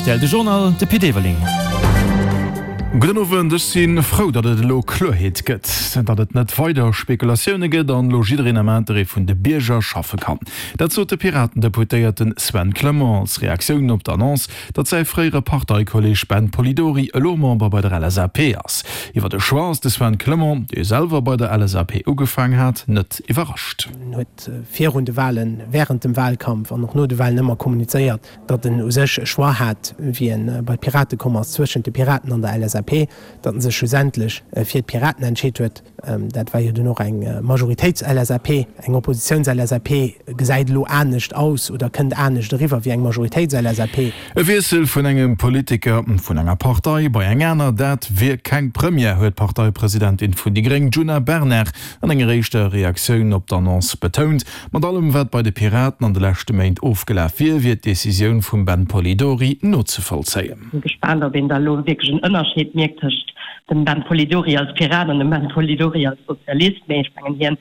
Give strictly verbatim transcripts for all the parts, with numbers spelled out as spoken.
rtl De Journal, de Pit Everling. Gudden Owend, ech si frou, datt et elo Kloerheet gëtt, datt et net weider Spekulatioune gëtt an elo jiddereen am Interêt vun de Bierger schaffe kann. Dat sot de Piraten-Deputéierte Sven Clement als Reaktioun op d'Annonce, datt säi fréiere Parteikolleeg Ben Polidori elo Member bei der LSAP ass. Iwwer de Choix ass de Sven Clement, dee selwer bei der LSAP ugefaang hat, net iwwerrascht. En huet virun de Walen, wärend dem Walkampf an och no de Walen ëmmer kommunizéiert, datt en u sech e Choix hat, wéi en bei d'Pirate komm ass, zwëschent de Piraten an der LSAP, datt en sech schlussendlech fir d'Piraten entscheet huet. Dat war jo dunn och eng Majoritéits-LSAP. Eng Oppositiouns-LSAP gesäit elo anescht aus oder kënnt anescht eriwwer wéi eng Majoritéits-LSAP. E Wiessel vun engem Politiker vun enger Partei bei eng aner, dat wier keng Première, huet d'Parteipresidentin vun déi gréng Djuna Bernard an enger éischter Reaktioun op d'Annonce betount. Mat allem wat bei de Piraten an de leschte Méint ofgelaf wier, wier d'Decisioun vum Ben Polidori nozevollzéien. Sinn gespaant ob een da elo wierklech en Ënnerscheed mierkt tëscht dem Ben Polidori als Pirat an dem Ben Polidori als Sozialist, mee ech mengen hien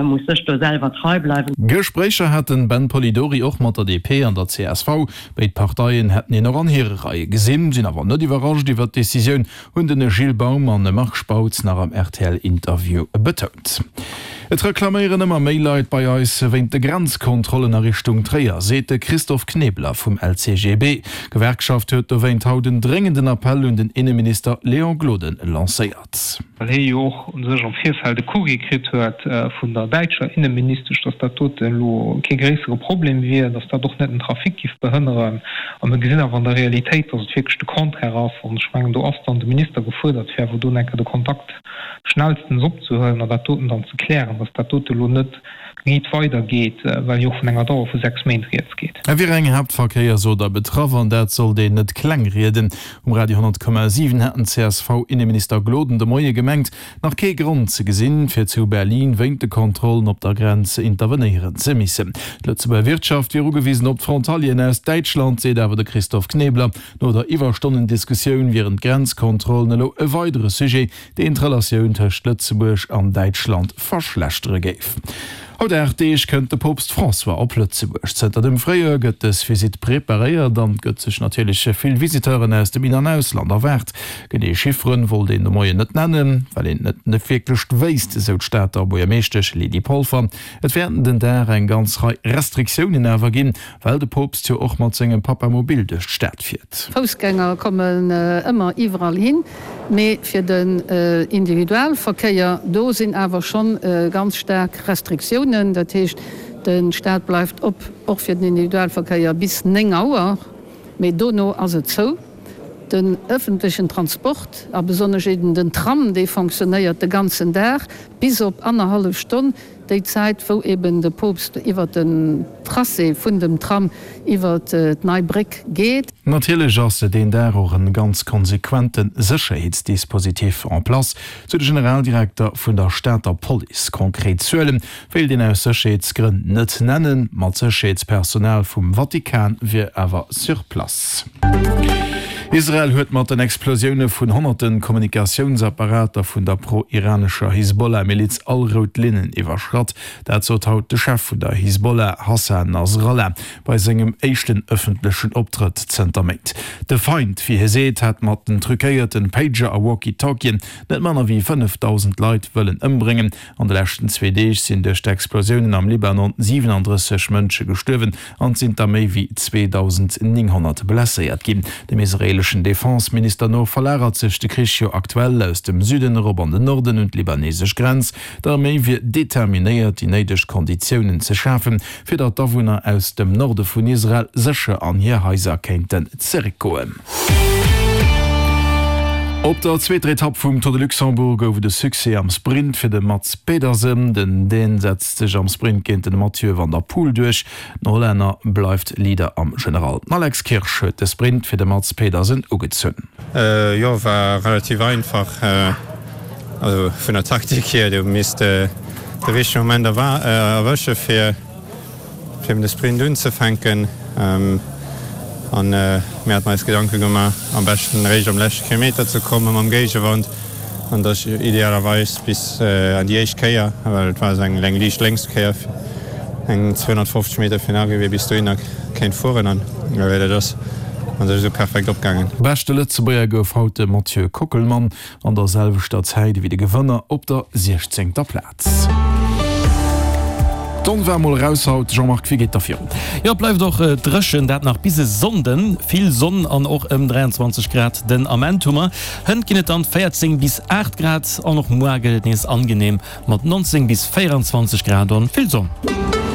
muss sech do selwer trei bleiwen. Gespréicher hat den Ben Polidori och mat der DP an der csv. Béid Parteien hätten hien och an hire Reie gesinn, sinn awer net iwwerrascht iwwer d'Decisioun, hunn den Gilles Baum an de Marc Spautz nach am RTL-Interview betount. Et reklaméieren ëmmer méi Leit bei eis wéint de Grenzkontrollen a Richtung Tréier, seet de Christophe Knebler vum LCGB. D'Gewerkschaft huet dowéint haut en dréngenden Appell un den Inneminister Léon Gloden lancéiert. Well hie jo och u sech am Virfeld e Courrier kritt huet vun der däitscher Inneministesch, datt dat dote elo kee gréissere Problem wier, datt dat och net den Trafic giff behënneren. A mir gesinn awer an der Realitéit, datt et wierklech de Contraire ass. An ech mengen, do ass dann de Minister gefuerdert, fir awer do enker de Kontakt schnellstens opzehuelen an dat doten dann ze klären, dass dat dote elo net riit weidergeet, well jo och vun enger Dauer vu sechs Méint rieds geet. Et wier eng Haaptverkéiersoder betraff an dat sollt een net kleng rieden. Um Radio honnert Komma siwen hat den CSV-Inneminister Gloden de Moie gemengt, nach kee Grond ze gesinn, fir zu Berlin wéint de Kontrollen op der Grenz intervenéieren ze missen. D'Lëtzebuerger Wirtschaft wier ugewisen op d'Frontalieren aus Däitschland, seet awer de Christophe Knebler. No der Iwwerstonnendiskussioun wieren d'Grenzkontrollen elo e weidere Sujet, deen d'Relatioun tëscht Lëtzebuerg an Däitschland verschlechtere géif. Haut aacht Deeg kënnt de Poopst François op Lëtzebuerg. Zënter dem Fréijoer gëtt dës Visitt preparéiert an et gëtt sech natierlech vill Visiteuren aus dem In an Ausland erwaart. Genee Chifferen wollt een de Moien net nennen, well een et net wierklech wéisst, esou d'Stater Buergermeeschtesch Lydie Polfer. Et wäerten den Dag eng ganz Rei Restriktiounen awer ginn, well de Poopst jo och mat sengem Papamobil duerch d'Stad fiert. Foussgänger kommen ëmmer iwwerall hin, mee fir den Individualverkéier, do sinn awer schonn ganz staark Restriktiounen. Dat heescht, de Staat bleift op, och fir den Individualverkéier bis néng Auer, mee dono ass et zou. Den ëffentlechen Transport, a besonnesch eben den Tram, dee fonctionnéiert de ganzen Dag bis op annerhallef Stonn, déi Zäit wou eben de Poopst iwwer den Tracé vun dem Tram iwwer d'Nei Bréck geet. Natierlech ass deen Dag och en ganz konsequente Sécherheetsdispositif en place, sou de Generaldirekter vun der Stater Police. Konkret Zuele wéilt een aus Sécherheetsgrënn net nennen, ma d'Sécherheetspersonal vum Vatikan wier awer sur place. Israel huet mat den Explosioune vun honnerte Kommunikatiounsapparater vun der pro-iranescher Hisbollah-Miliz all rout Linnen iwwerschratt. Dat sot haut de Chef vun der Hisbollah, Hassan Nasrallah, bei sengem éischten ëffentlechen Optrëtt zënter Méint. De Feind, wéi hie seet, hätt mat den truquéierten Pager a Walkie-Talkien net manner wéi fënnefdausend Leit wëllen ëmbréngen. An de leschten zwee Deeg sinn duerch d'Explosiounen am Libanon siwenandrësseg Mënsche gestuerwen an et sinn der méi wéi zweedausendnénghonnert blesséiert ginn. Dem israeeleschen Defense-Minister no verlagert sech de Krich jo aktuell aus dem Süden erop an den Norden un d'libanesesch Grenz. D'Arméi wier determinéiert, déi néideg Konditiounen ze schafen, fir datt d'Awunner aus dem Norde vun Israel sécher an hir Haiser kéinten zeréckgoen. Op der zweeter Etapp vum Tour de Luxembourg gouf et e Succès am Sprint fir de Mads Pedersen. Den Dän setzt sech am Sprint géint den Mathieu van der Poel duerch. Den Hollänner bleift Leader am General. Den Alex Kirsch huet de Sprint fir de Mads Pedersen ugezunn. Jo, war relativ einfach, also vun der Taktik hier. Du misst de richtege Moment erwësche fir fir eben de Sprint unzefänken an mir haten eis Gedanke gemaach am beschten eréischt am leschte Kilometer ze komme mam Géigewand an da idealerweis bis an déi éischt Kéier, well et war esou eng eng liicht lénks Kéier eng zweehonnertfofzeg Meter virun Arrivée bis dohinner kéint fueren an dat ass an sech esou perfekt opgaangen. Beschte Lëtzebuerger gouf haut de Mathieu Kockelmann an der selwechter Zäit ewéi de Gewënner op der siechzéngter Plaz. D'Sonn war mol eraus haut, Jean-Marc, wéi geet da virun? Jo, et bleift och dréchen, dat nach bis e Sonnden. Vill Sonn an och ëm dräianzwanzeg Grad den Ament hu mer. Hënt ginn et dann véierzéng bis aacht Grad an och muar gëtt et nees angenehm mat nonzéng bis véieranzwanzeg Grad an vill Sonn.